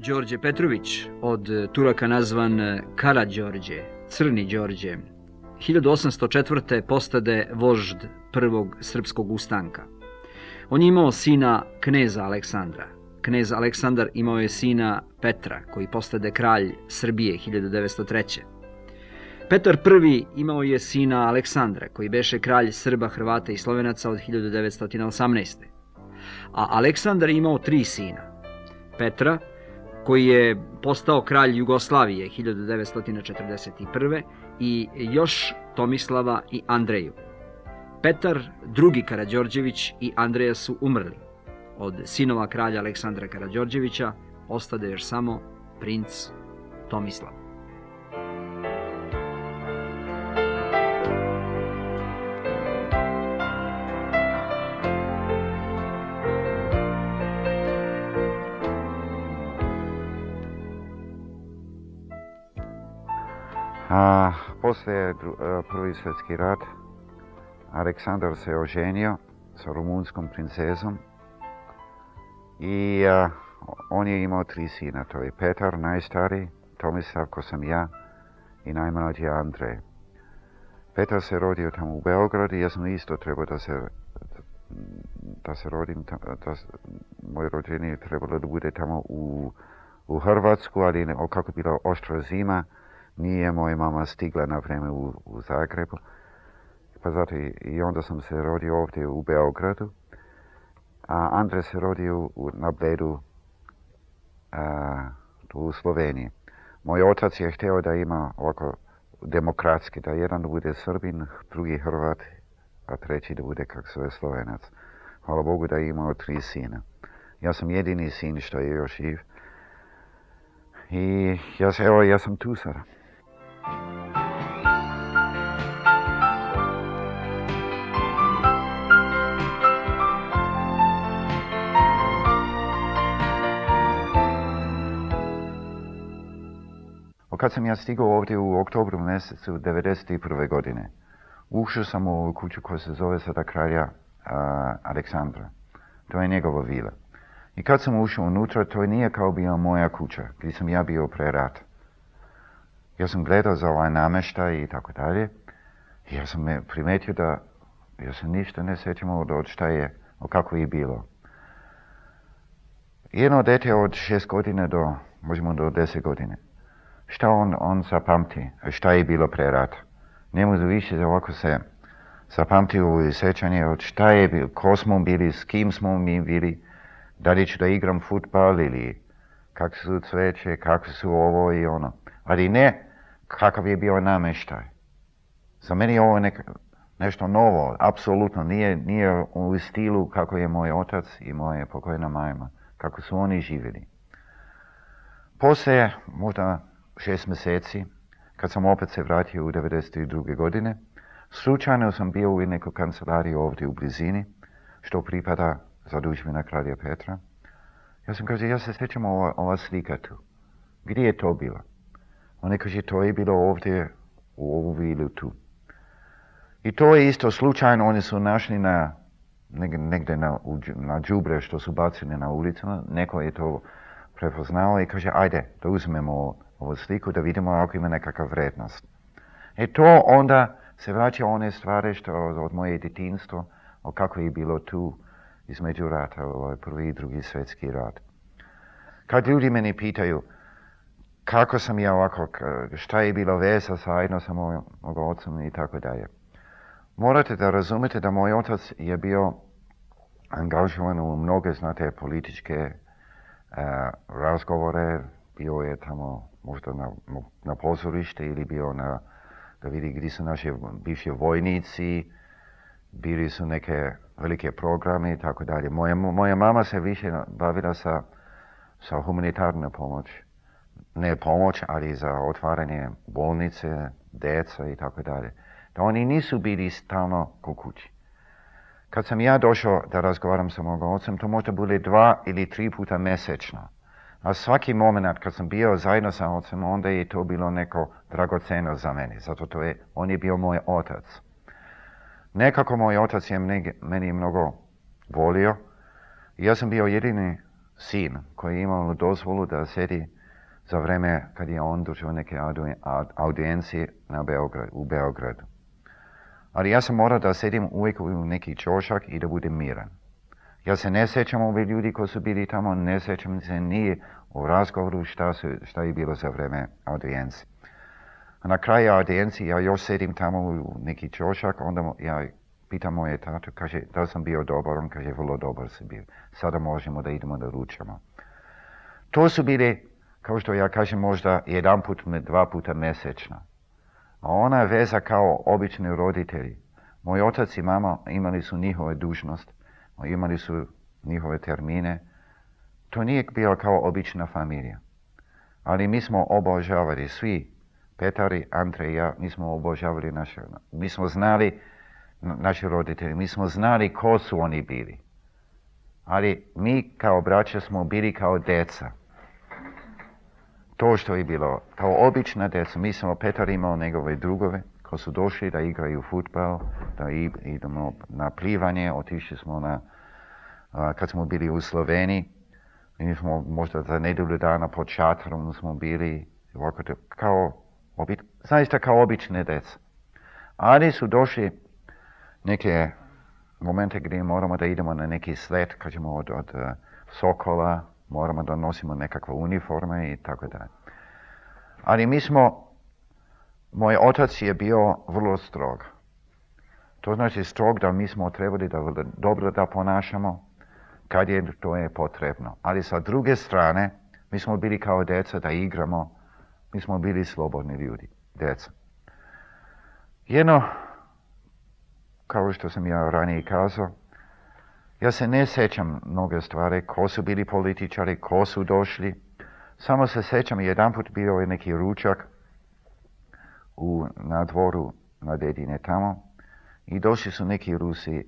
Đorđe Petrović, od Turaka nazvan Karađorđe, Crni Đorđe, 1804. postade vožd prvog srpskog ustanka. On je imao sina kneza Aleksandra. Knez Aleksandar imao je sina Petra, koji postade kralj Srbije 1903. Petar I imao je sina Aleksandra, koji beše kralj Srba, Hrvata i Slovenaca od 1918. A Aleksandar je imao 3 sina. Petra, koji je postao kralj Jugoslavije 1941. i još Tomislava i Andreju. Petar II. Karađorđević i Andreja su umrli. Od sinova kralja Aleksandra Karađorđevića ostade još samo princ Tomislav. Poslije Prvi svjetski rat Aleksandar se oženio sa rumunskom princezom i on je imao 3 sina. To je Petar, najstariji, Tomislav, ko sam ja, i najmlađi Andrej. Petar se rodio tamo u Beogradu i ja sam isto trebao da se rodim, moje rođenje trebalo da bude tamo u Hrvatsku, ali kako je bila oštra zima, nije moja mama stigla na vrijeme u Zagrebu. Pa zato i onda sam se rodio ovdje u Beogradu. A Andrej se rodio na Bledu u Sloveniji. Moj otac je htio da ima ovako demokratski, da jedan bude Srbin, drugi Hrvat, a treći da bude kako se zove Slovenac. Hvala Bogu da je imao 3 sina. Ja sam jedini sin što je još živ. I ja sam tu sada. Kad sam ja stigao ovdje u oktobru mjesecu 1991. godine, ušao sam u kuću koja se zove sada kralja Aleksandra. To je njegova vila. I kad sam ušao unutra, to nije kao bila moja kuća, gdje sam ja bio pre rata. Ja sam gledao za ovaj namještaj i tako dalje. I ja sam primetio da ja se ništa ne sjećam od šta je, kako je bilo. Jedno dete od 6 godina možemo do 10 godine. Šta on zapamti, šta je bilo pre rata. Ne može više ovako se zapamti u sjećanje od šta je bilo, ko smo bili, s kim smo mi bili, da li ću da igram futbal ili kako su cveće, kako su ovo i ono. Ali ne kakav je bio namještaj. Za mene je ovo nešto novo, apsolutno. Nije u stilu kako je moj otac i moja pokojna majma, kako su oni živjeli. Poslije možda 6 mjeseci, kad sam opet se vratio u 1992. godine, slučajno sam bio u nekoj kancelariji ovdje u blizini, što pripada zadužbina kralja Petra. Ja se sjećam ova slika tu. Gdje je to bilo? On kaže, to je bilo ovdje u ovu vilu tu. I to je isto slučajno, oni su našli negdje na đubre što su bacili na ulicama, neko je to prepoznao i kaže, ajde, da uzmemo ovu sliku da vidimo ako ima nekakva vrednost. I to onda se vraća one stvari što od moje djetinjstva, o kako je bilo tu između rata, Prvi i Drugi svjetski rat. Kad ljudi meni pitaju kako sam ja ovako, šta je bilo veza zajedno sa mojim ocem i tako dalje. Morate da razumete da moj otac je bio angažovan u mnoge, znate, političke razgovore, bio je tamo možda na pozorište ili bio da vidi gdje su naši bivši vojnici, bili su neke velike programe i tako dalje. Moja mama se više bavila sa humanitarnom pomoć. Ne pomoć, ali za otvaranje bolnice, djeca i tako dalje. Da oni nisu bili stalno kod kući. Kad sam ja došao da razgovaram sa mojim ocem, to možda bude 2 ili 3 puta mjesečno. A svaki moment kad sam bio zajedno sa ocem, onda je to bilo neko dragoceno za mene. Zato on je bio moj otac. Nekako moj otac je meni mnogo volio. Ja sam bio jedini sin koji je imao dozvolu da sedi za vreme kad je on držao neke audijencije u Beogradu. Ali ja sam morao da sedim uvijek u neki ćošak i da budem miran. Ja se ne sjećam ovi ljudi koji su bili tamo, ne sjećam se ni u razgovoru šta je bilo za vreme audijencije. A na kraju audijencije ja još sedim tamo u neki ćošak, onda ja pitam moje tatu, kaže, da sam bio dobar, on kaže, vrlo dobar si bio. Sada možemo da idemo da ručamo. To su bili, kao što ja kažem, možda jedan put, dva puta mjesečno. A ona je veza kao obični roditelji. Moj otac i mama imali su njihove dužnost, imali su njihove termine. To nije bilo kao obična familija. Ali mi smo obožavali svi, Petari, Andrej i ja, mi smo obožavali mi smo znali naši roditelji, mi smo znali ko su oni bili. Ali mi kao braća smo bili kao deca. To što je bilo, kao obična deca, mi smo Petar imao njegove drugove koji su došli da igraju futbal, da idemo na plivanje, otišli smo kad smo bili u Sloveniji, mi smo možda za nedjelju dana pod šatorom smo bili, zaista kao obične deca. Ali su došli neke momente gdje moramo da idemo na neki slet, kažemo od Sokola, moramo da nosimo nekakve uniforme i tako dalje. Ali moj otac je bio vrlo strog. To znači strog da mi smo trebali da dobro da ponašamo kad je to je potrebno. Ali sa druge strane, mi smo bili kao deca da igramo, mi smo bili slobodni ljudi, deca. Jedno, kao što sam ja ranije kazao, ja se ne sjećam mnoge stvari, ko su bili političari, ko su došli. Samo se sjećam, jedanput bio je neki ručak na dvoru na dedine tamo i došli su neki Rusi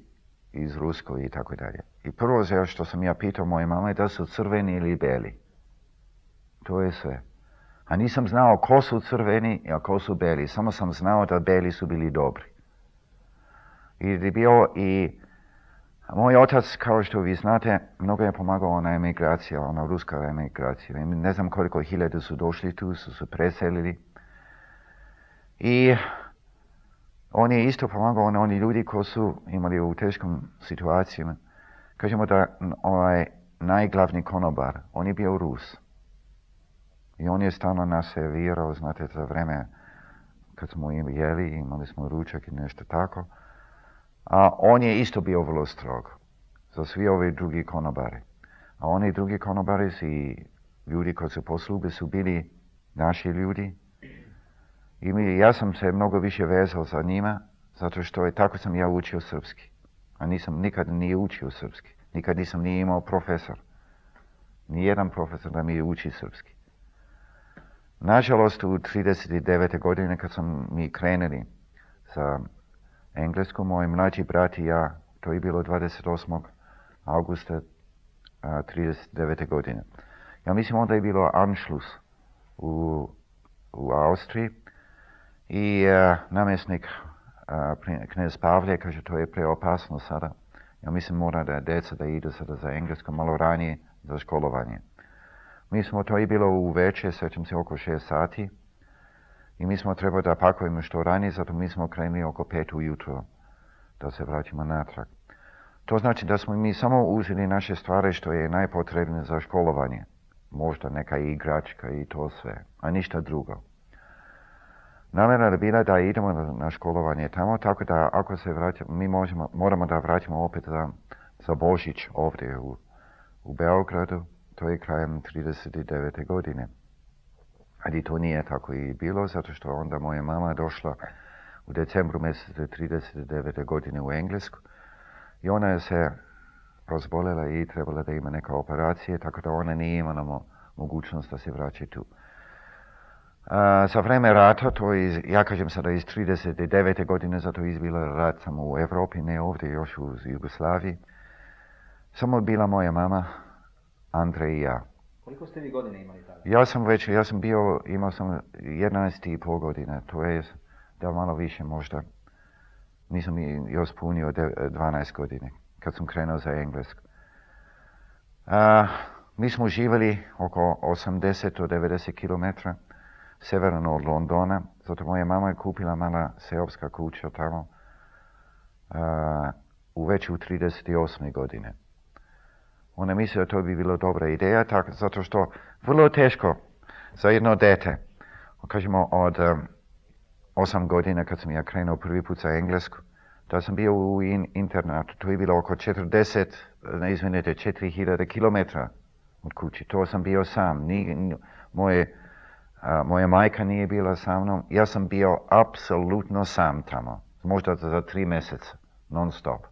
iz Rusko i tako dalje. I prvo što sam ja pitao moje mame da su crveni ili beli. To je sve. A nisam znao ko su crveni, a ko su beli. Samo sam znao da beli su bili dobri. I moj otac, kao što vi znate, mnogo je pomagao na emigraciji, ona ruska emigracija. Ne znam koliko hiljada su došli tu, su se preselili. I on je isto pomagao na oni ljudi koji su imali u teškom situacijama. Kažemo da najglavni konobar, on je bio Rus. I on je stalno nas servirao, znate, za vreme kad smo jeli, imali smo ručak i nešto tako. A on je isto bio vrlo strog za svi ovi drugi konobari. A oni drugi konobari i ljudi koji su posluge su bili naši ljudi. I ja sam se mnogo više vezao za njima, zato što tako sam ja učio srpski. A nikad nije učio srpski. Nikad nisam nije imao profesor. Nijedan profesor da mi uči srpski. Nažalost, u 39. godine kad sam mi krenuli za Englesku, moj mlađi brat i ja, to je bilo 28. augusta 39. godine. Ja mislim onda je bilo Anschluss u Austriji i namjesnik knez Pavle kaže to je preopasno sada. Ja mislim mora da deca da idu sada za Englesku malo ranije za školovanje. Mi smo, to je bilo u večer, sjećam se oko 6 sati i mi smo trebali da pakujemo što ranije, zato mi smo krenuli oko 5 ujutro da se vraćamo natrag. To znači da smo mi samo uzeli naše stvari što je najpotrebnije za školovanje. Možda neka igračka i to sve, a ništa drugo. Namjera je bila da idemo na školovanje tamo, tako da ako se vraćamo, mi moramo da vratimo opet za Božić ovdje u Beogradu. To je krajem 39. godine. Ali to nije tako i bilo, zato što onda moja mama došla u decembru mjesecu 39. godine u Englesku i ona je se razbolela i trebala da ima neka operacije, tako da ona nije imala mogućnost da se vraća tu. Za vreme rata, ja kažem sada iz 39. godine, zato je izbila rat samo u Evropi, ne ovdje, još u Jugoslaviji. Samo bila moja mama, Andrej i ja. Koliko ste vi godine imali tada? Imao sam 11,5 godina, to je da malo više možda. Nisam još punio 12 godine, kad sam krenuo za Englesku. Mi smo živjeli oko 80 do 90 km severno od Londona, zato moja mama je kupila mala seoska kuća tamo već u 38. godine. Ona misli da to bi bilo dobra ideja, zato što vrlo teško za jedno dete, kažemo od 8 godina kad sam ja krenuo prvi put za englesku, da sam bio u internatu, to je bilo oko 4000 km od kući. To sam bio sam. Moja majka nije bila sa mnom. Ja sam bio apsolutno sam tamo. Možda za 3 mjeseca. Non stop.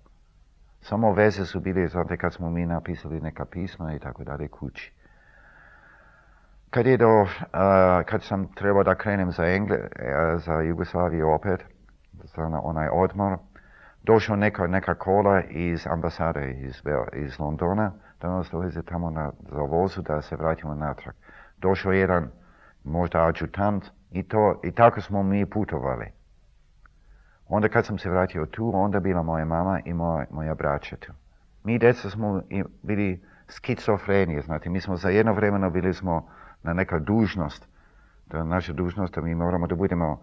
Samo veze su bile, znate, kad smo mi napisali neka pisma i tako dalje kući. Kad sam trebao da krenem za Jugoslaviju opet, za onaj odmor, došao neka kola iz ambasade iz Londona, da nas doveze tamo za vozu da se vratimo natrag. Došao jedan možda adjutant i tako smo mi putovali. Onda kad sam se vratio tu, onda bila moja mama i moja braća tu. Mi djeca smo bili skizofrenije, znate, mi smo za jedno vremeno bili smo na neka dužnost, naša dužnost da mi moramo da budemo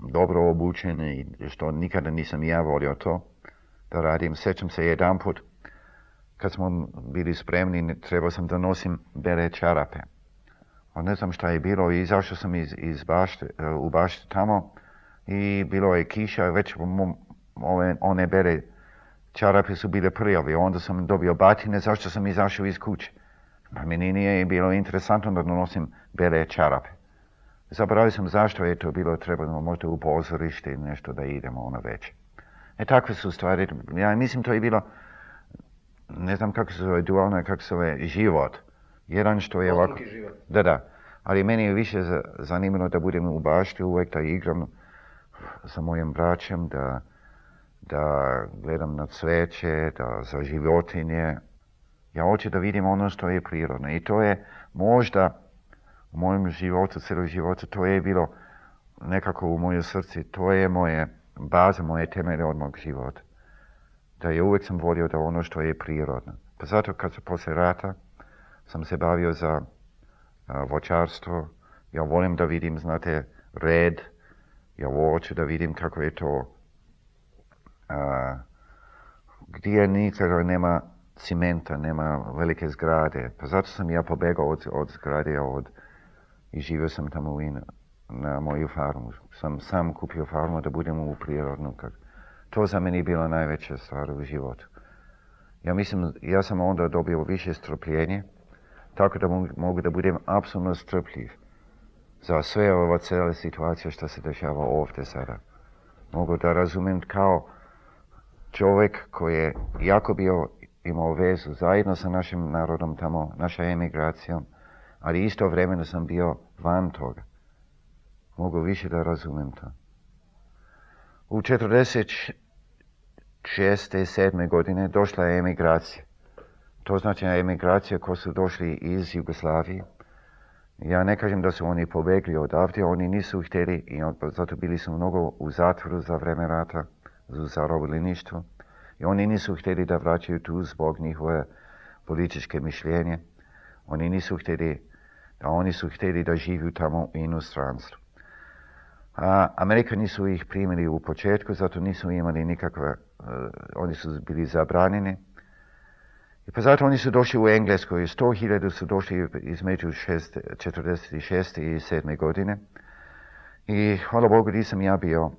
dobro obučeni, što nikada nisam ja volio to da radim. Sjećam se jedan put, kad smo bili spremni, trebao sam da nosim bele čarape. A ne znam šta je bilo, izašao sam u baštu tamo i bilo je kiša, već one bele čarape su bile prljave. Onda sam dobio batine, zašto sam izašao iz kuće. Pa meni nije bilo interesantno da nosim bele čarape. Zaboravio sam zašto je to bilo, trebalo možda u pozorište ili nešto da idemo već. Takve su stvari, ja mislim to je bilo, ne znam kako se zove dualno, kako se zove život. Jedan što je ovako... život. Da, ali meni je više zanimljivo da budem u bašti uvijek, da igram sa mojim braćem, da gledam na cveće, da za životinje. Ja hoću da vidim ono što je prirodno i to je možda u mojem životu, cijelog života, to je bilo nekako u mojoj srci, to je moje baza, moje temelje od mog života. Da je uvijek sam volio da ono što je prirodno. Pa zato kad sam poslije rata sam se bavio za voćarstvo, ja volim da vidim, znate, red, ja hoću da vidim kako je to, gdje nikada nema cimenta, nema velike zgrade. Pa zato sam ja pobegao od zgrade i živio sam tamo na moju farmu. Sam kupio farmu da budem u prirodnu. To za meni bila najveća stvar u životu. Ja mislim, ja sam onda dobio više strpljenje, tako da mogu da budem apsolutno strpljiv za sve ova cijela situacija što se dešava ovdje sada. Mogu da razumijem kao čovjek koji je jako imao vezu zajedno sa našim narodom tamo, naša emigracijom, ali istovremeno sam bio van toga. Mogu više da razumijem to. U 46. i 7. godine došla je emigracija. To znači emigracija koji su došli iz Jugoslavije. Ja ne kažem da su oni pobegli odavde, oni nisu htjeli i zato bili su mnogo u zatvoru za vreme rata, za zarobljeništvo. I oni nisu htjeli da vraćaju tu zbog njihove političke mišljenje. Oni su htjeli da živiju tamo u inostranstvu. Amerikani su ih primili u početku, zato nisu imali nikakve, oni su bili zabranjeni. I pa zato oni su došli u Englesku i 100.000 su došli između 46. i 7. godine. I hvala Bogu nisam ja bio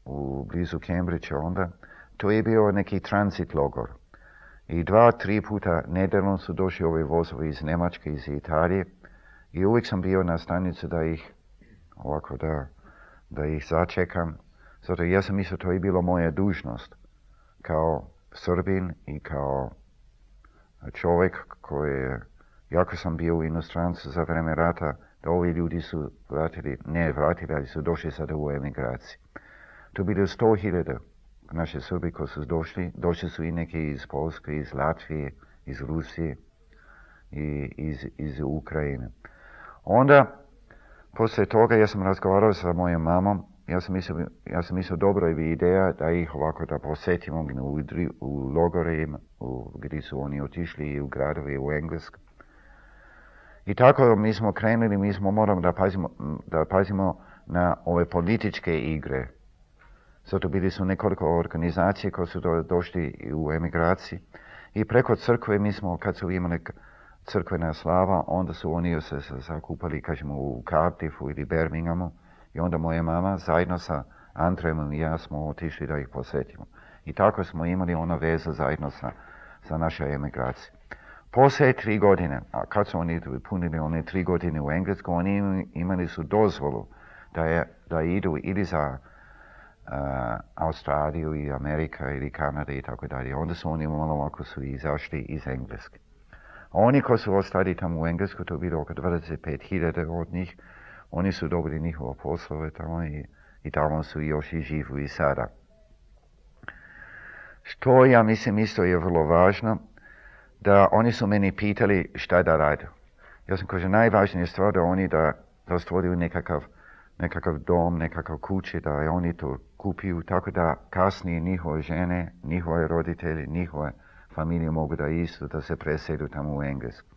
u blizu Cambridgea onda. To je bio neki transit logor. I 2-3 puta nedeljno su došli ovi vozovi iz Njemačke, iz Italije. I uvijek sam bio na stanicu da ih začekam. Zato ja sam mislio to je bilo moja dužnost kao Srbin i kao čovjek koji jako sam bio u inostranstvu za vreme rata, da ovi ljudi su ali su došli sada u emigraciji. To bilo 100.000 naše Srbi koji su došli su i neki iz Polske, iz Latvije, iz Rusije i iz Ukrajine. Onda, poslije toga ja sam razgovarao sa mojom mamom ja sam mislio dobro je ideja da ih ovako da posjetimo u logore gdje su oni otišli i u gradove u Englesku. I tako mi smo krenuli, moramo da pazimo na ove političke igre. Zato bili su nekoliko organizacije koje su došli u emigraciji i preko crkve kad su imali crkvena slava, onda su oni se zakupali, kažemo, u Cardiffu ili Birminghamu i onda moja mama zajedno sa Andrejem i ja smo otišli da ih posjetimo. I tako smo imali ona veza zajedno sa našoj emigraciji. Poslije 3 godine, a kad su oni punili one 3 godine u Englesku, oni imali su dozvolu da idu ili za Australiju i Amerika ili Kanada i tako dalje. Onda su oni malo ovako su izašli iz Engleske. A oni koji su ostali tamo u Englesku, to je bilo oko 25.000 od njih, oni su dobili njihove poslove tamo i tamo su još i živu i sada. Što ja mislim isto je vrlo važno, da oni su meni pitali šta da rade. Ja sam kaže najvažnija stvar da oni da stvoriju nekakav dom, nekakav kuće, da oni to kupiju, tako da kasnije njihove žene, njihove roditelji, njihove familije mogu da isto, da se presedu tamo u Englesku.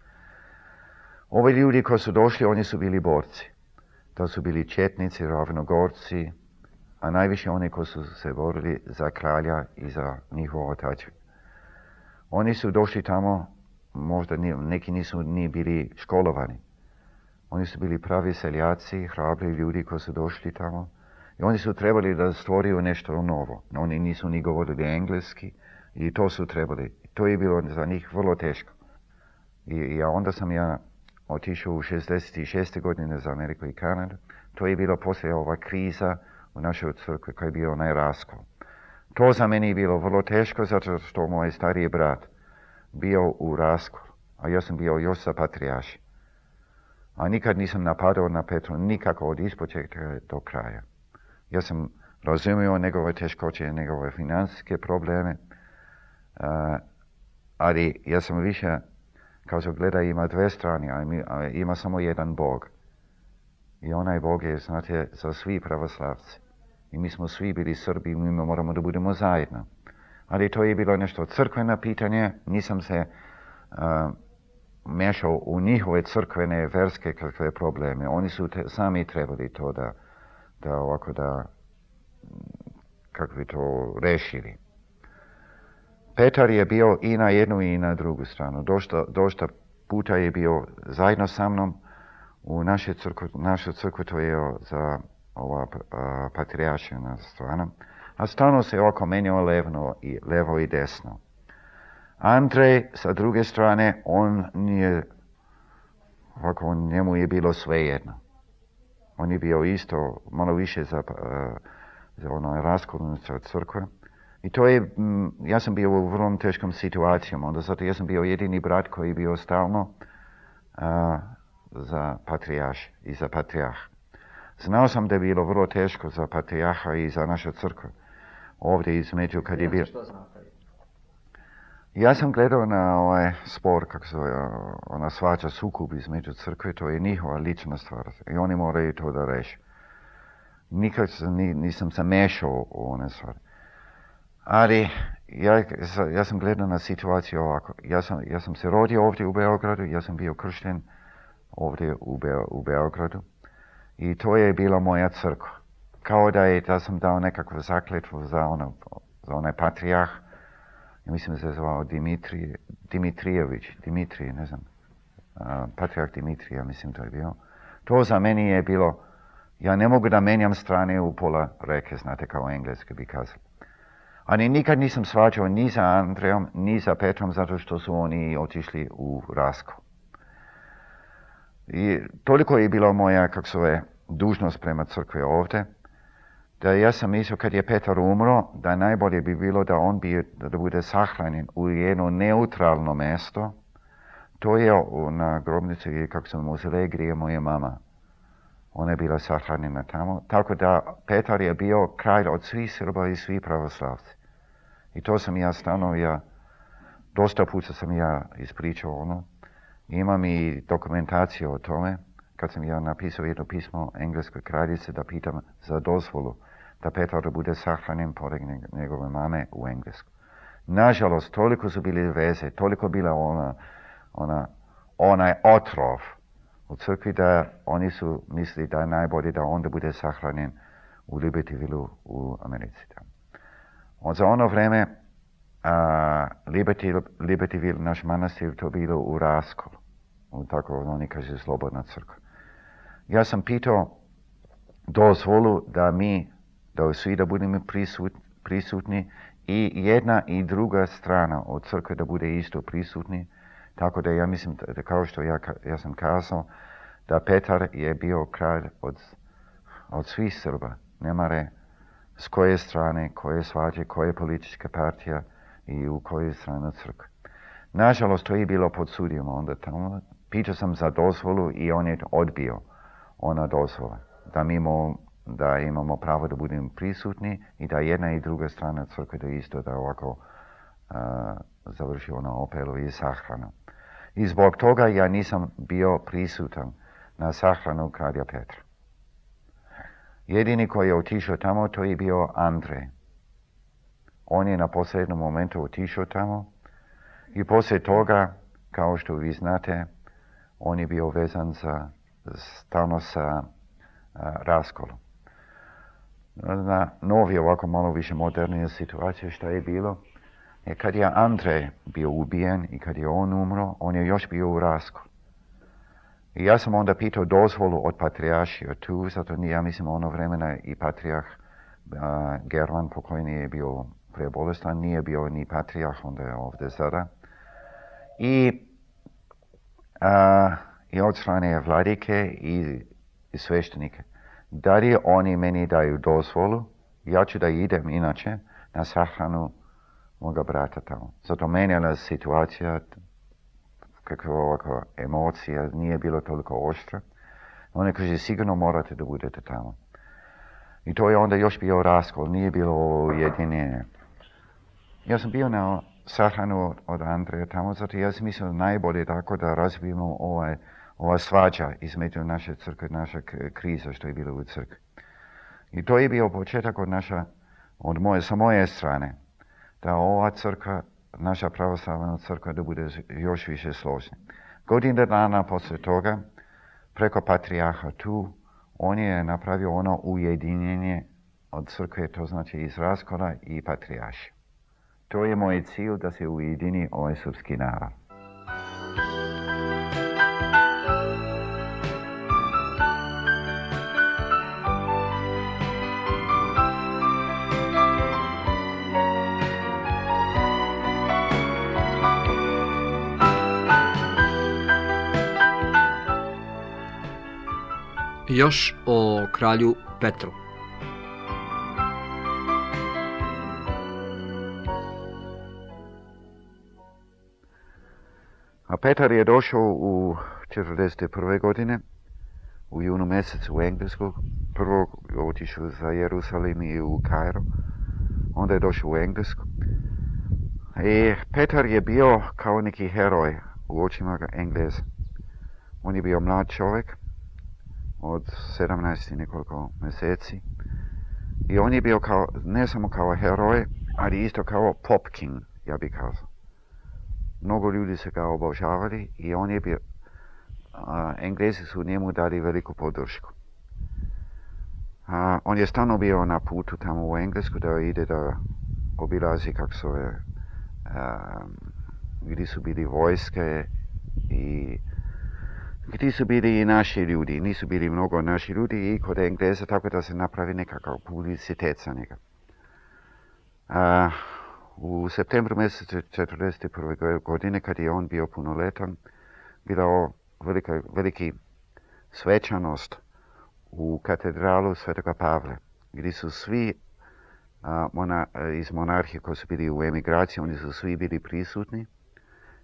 Ovi ljudi koji su došli, oni su bili borci. To su bili četnici, ravnogorci, a najviše oni koji su se borili za kralja i za njihovo otadžbinu. Oni su došli tamo, možda neki nisu ni bili školovani. Oni su bili pravi seljaci, hrabri ljudi koji su došli tamo. I oni su trebali da stvoriju nešto novo. Oni nisu ni govorili engleski i to su trebali. To je bilo za njih vrlo teško. I onda sam ja otišao u 66. godine za Ameriku i Kanadu. To je bilo poslije ova kriza u našoj crkvi koji je bio onaj raskol. To za mene je bilo vrlo teško zato što moj stariji brat bio u raskol, a ja sam bio još sa patrijaršem. A nikad nisam napadao na Petru nikako od ispočetka do kraja. Ja sam razumio njegove teškoće, njegove financijske probleme, ali ja sam više, kao što gleda, ima 2 strane, a ima samo jedan Bog. I onaj Bog je, znate, za svi pravoslavci. I mi smo svi bili Srbi, mi moramo da budemo zajedno. Ali to je bilo nešto crkveno pitanje, nisam se mešao u njihove crkvene, verske kakve probleme. Oni su sami trebali to kako bi to rešili. Petar je bio i na jednu i na drugu stranu. Dosta puta je bio zajedno sa mnom u našu crkvu, to je za ova patrijaršina strana. A stalno se oko menjao levo i desno. Andrej, sa druge strane, njemu je bilo svejedno. On je bio isto malo više za ono raskolnicu crkve. I to je, ja sam bio u vrlo teškom situacijom, onda zato ja sam bio jedini brat koji je bio stalno za patrijarš i za patrijarh. Znao sam da je bilo vrlo teško za patrijarha i za našu crkvu. Ovdje između kad je bio... Ja sam gledao na ovaj spor, kako se ona svađa, sukob između crkve, to je njihova lična stvar. I oni moraju to da reši. Nikad nisam se mešao u one stvari. Ali ja sam gledao na situaciju ovako. Ja sam se rodio ovdje u Beogradu, ja sam bio kršten ovdje u Beogradu. I to je bila moja crkva. Kao da sam dao nekakvu zakletvu za onaj patrijarh. Ja mislim da se zvao Dimitrije, ne znam. Patrijarh Dimitrija, mislim to je bio. To za meni je bilo, ja ne mogu da menjam strane u pola reke, znate, kao engleski bi kazali. Ali nikad nisam svađao ni za Andrejom, ni za Petrom, zato što su oni otišli u raskol. I toliko je bila moja, dužnost prema crkvi ovdje, da ja sam mislio kad je Petar umro, da najbolje bi bilo da da bude sahranjen u jedno neutralno mjesto. To je na grobnici, kako se muzej, gdje je moja mama. Ona je bila sahranjena tamo. Tako da Petar je bio kralj od svih Srba i svih pravoslavci. I to sam ja dosta puta sam ja ispričao ono. Imam i dokumentaciju o tome. kad sam ja napisao jedno pismo engleskoj kraljici da pitam za dozvolu da Petar bude sahranjen pored njegove mame u Englesku. Nažalost, toliko su bili veze, toliko bila onaj otrov u crkvi da oni su mislili da je najbolje da onda bude sahranjen u Libertyville u Americi. Za ono vreme Libertyville, naš manastir, to bilo u raskolu. Tako oni kaže slobodna crkva. Ja sam pitao dozvolu da svi da budemo prisutni i jedna i druga strana od crkve da bude isto prisutni. Tako da ja mislim, da kao što ja sam kazao, da Petar je bio kralj od svih Srba. Nemare s koje strane, koje svađe, koje politička partija i u koje strane crkve. Nažalost, to je bilo pod sudijom onda tamo. Pitao sam za dozvolu i on je odbio ona dozvola. Da imamo pravo da budemo prisutni i da jedna i druga strana crkve da isto da ovako završi ono opelu i sahranu. I zbog toga ja nisam bio prisutan na sahranu kralja Petra. Jedini koji je otišao tamo, to je bio Andrej. On je na posljednom momentu otišao tamo i poslije toga, kao što vi znate, on je bio vezan stalno sa raskolom. Na novi, ovako malo više modernija situacija što je bilo, je kad je Andrej bio ubijen i kad je on umro, on je još bio u raskolu. I ja sam onda pitao dozvolu od patrijaršija tu, zato ja mislim ono vremena i patrijarh German pokojni je bio prebolestan, nije bio ni patrijarh, onda je ovdje sada. I od strane vladike i sveštenike. Da li oni meni daju dozvolu, ja ću da idem inače na sahranu moga brata tamo. Zato menjala situacija, kakva ovakva emocija, nije bilo toliko oštra. Oni kaže, sigurno morate da budete tamo. I to je onda još bio raskol, nije bilo ujedinjenje. Ja sam bio na sahranu od Andreja tamo, zato ja sam mislio najbolje tako da razbijemo ova svađa između naše crkve, naša kriza što je bilo u crkvi. I to je bio početak sa moje strane, da ova crkva, naša pravoslavna crkva, da bude još više složna. Godine dana poslije toga, preko patrijarha tu, on je napravio ono ujedinjenje od crkve, to znači iz raskola i patrijarša. To je moj cilj, da se ujedini ovaj srpski narod. Još o kralju Petru. A Petar je došao u 1941. godine, u junu mjesecu u Englesku. Prvo je otišao za Jerusalim i u Kairo, onda je došao u Englesku. I Petar je bio kao neki heroj u očima Engleza. On je bio mlad čovjek od 17 i nekoliko mjeseci. I on je bio ne samo kao heroj, ali isto kao pop king, ja bih kazao. Mnogo ljudi se ga obožavali i on je bio, Englezi su njemu dali veliku podršku. On je stalno bio na putu tamo u Englesku da ide da obilazi gdje su bili vojske i gdje su bili i naši ljudi. Nisu bili mnogo naši ljudi i kod Engleza, tako da se napravi nekakav publicitet za njega. U septembru mjesecu 1941. godine, kad je on bio punoletan, bila veliki svečanost u katedralu Svetoga Pavla, gdje su svi iz monarhije koji su bili u emigraciji, oni su svi bili prisutni,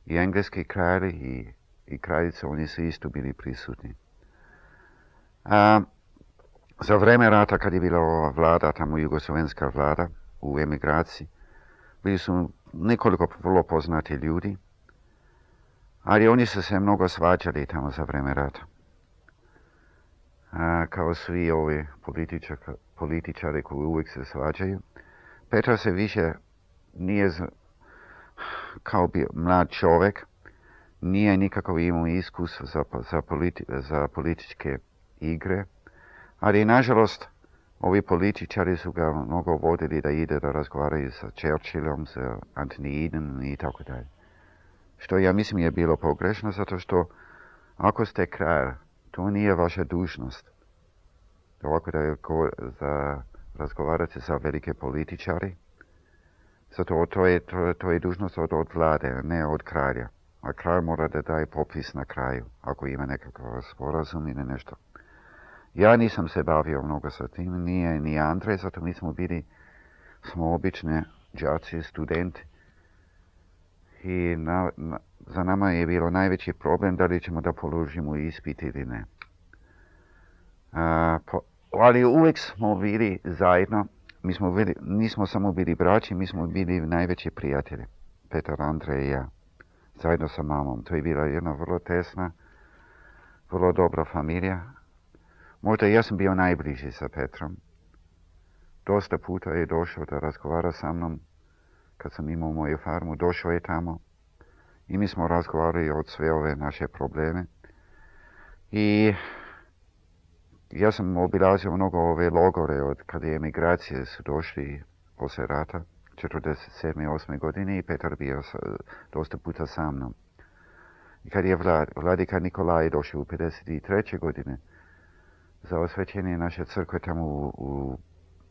i engleski kralji i kraljice, oni su isto bili prisutni. Za vreme rata, kad je bila ova vlada, tamo jugoslovenska vlada u emigraciji, bili su nekoliko vrlo poznati ljudi, ali oni su se mnogo svađali tamo za vreme rata. kao svi ovi političari koji uvijek se svađaju. Petar se više nije kao mlad čovjek, nije nikako imao iskustva za političke igre, ali nažalost ovi političari su ga mnogo vodili da ide da razgovaraju sa Churchillom, sa Anthony Eden i tako dalje. Što ja mislim je bilo pogrešno, zato što ako ste kralj, to nije vaša dužnost. Ovako da razgovarate sa velike političari, zato to je dužnost od vlade, ne od kralja. A kralj mora da daje popis na kraju, ako ima nekakav sporazum ili nešto. Ja nisam se bavio mnogo sa tim, nije ni Andrej, zato mi smo obični đaci, studenti. I za nama je bilo najveći problem da li ćemo da položimo ispit ili ne. Ali uvijek smo bili zajedno, nismo samo bili braći, mi smo bili najveći prijatelji, Petar, Andrej i ja, zajedno sa mamom. To je bila jedna vrlo tesna, vrlo dobra familija. Možda ja sam bio najbliži sa Petrom. Dosta puta je došao da razgovara sa mnom. Kad sam imao moju farmu, došao je tamo. I mi smo razgovarali od sve ove naše probleme. I ja sam obilazio mnogo ove logore od kada je emigracije su došli poslije rata, 47. 8. godine, i Petar bio dosta puta sa mnom. I kad je vladika Nikolaj došao u 53. godine za osvećenje naše crkve tamo u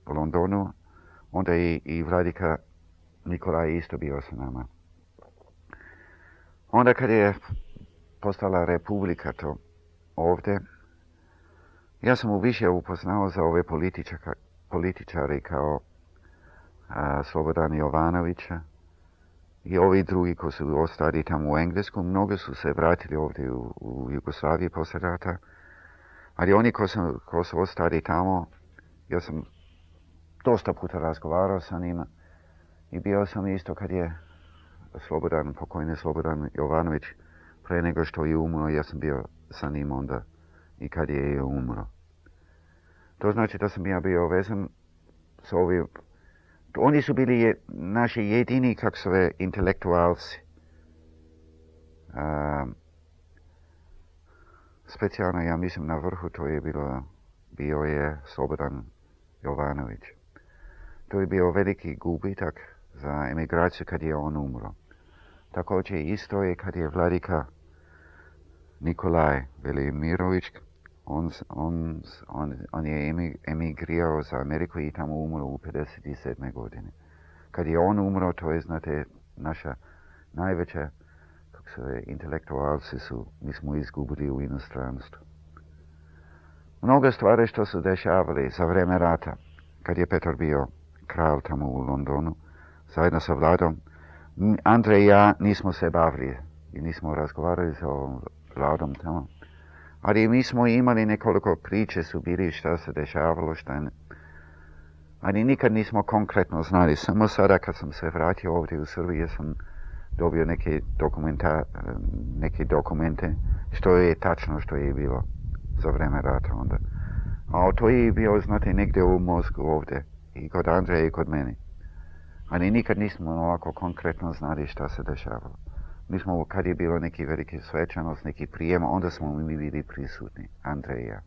Londonu, onda i vladika Nikolaj isto bio sa nama. Onda kad je postala republika to ovdje, ja sam više upoznao za ove političari kao Slobodan Jovanovića i ovi drugi koji su ostali tamo u Englesku. Mnogi su se vratili ovdje u Jugoslaviji poslije rata, ali oni koji su ostali tamo, ja sam dosta puta razgovarao sa njima i bio sam isto kad je pokojni Slobodan Jovanović, prije nego što je umro, ja sam bio sa njim onda i kad je umro. To znači da sam ja bio vezan s ovim. Oni su bili naši jedini, intelektualci. Specijalno, ja mislim, na vrhu to je bio je Slobodan Jovanović. To je bio veliki gubitak za emigraciju kad je on umro. Također isto je kad je vladika Nikolaj Velimirović, on je emigrirao za Ameriku i tamo umro u 57. godine. Kad je on umro, to je, znate, naša najveća, intelektualci mi smo izgubili u inostranstvu. Mnogo stvari što su dešavali za vreme rata, kad je Petar bio kralj tamo u Londonu, zajedno sa vladom, Andrej i ja nismo se bavili i nismo razgovarali sa vladom tamo. Ali mi smo imali nekoliko priče su bili šta se dešavalo, šta ne. Ali nikad nismo konkretno znali. Samo sada kad sam se vratio ovdje u Srbiji, sam dobio neke dokumente što je tačno što je bilo za vreme rata onda. A to je bio, znate, negdje u mozgu ovdje. I kod Andreja i kod mene. Ali nikad nismo ovako konkretno znali šta se dešavalo. Mi smo, kad je bilo neki veliki svečanost, neki prijem, onda smo mi bili prisutni, Andrej i ja.